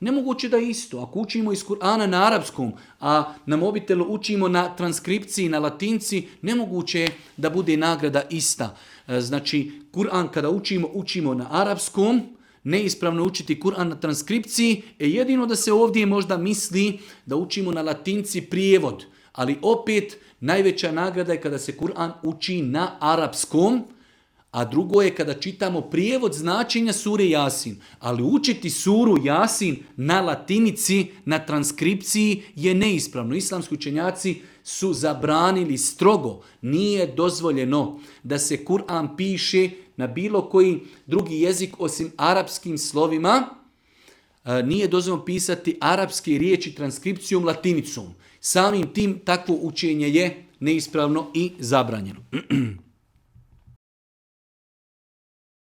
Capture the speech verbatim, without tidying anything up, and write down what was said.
Nemoguće da je isto. Ako učimo iz Kur'ana na arapskom, a na mobitelu učimo na transkripciji, na latinci, nemoguće je da bude nagrada ista. Znači, Kur'an kada učimo, učimo na arapskom, neispravno učiti Kur'an na transkripciji, e jedino da se ovdje možda misli da učimo na latinci prijevod. Ali opet, najveća nagrada je kada se Kur'an uči na arapskom, a drugo je kada čitamo prijevod značenja sure Jasin. Ali učiti suru Jasin na latinici, na transkripciji je neispravno. Islamski učenjaci su zabranili strogo. Nije dozvoljeno da se Kur'an piše na bilo koji drugi jezik osim arapskim slovima. Nije dozvoljeno pisati arapske riječi transkripcijom latinicom. Samim tim takvo učenje je neispravno i zabranjeno.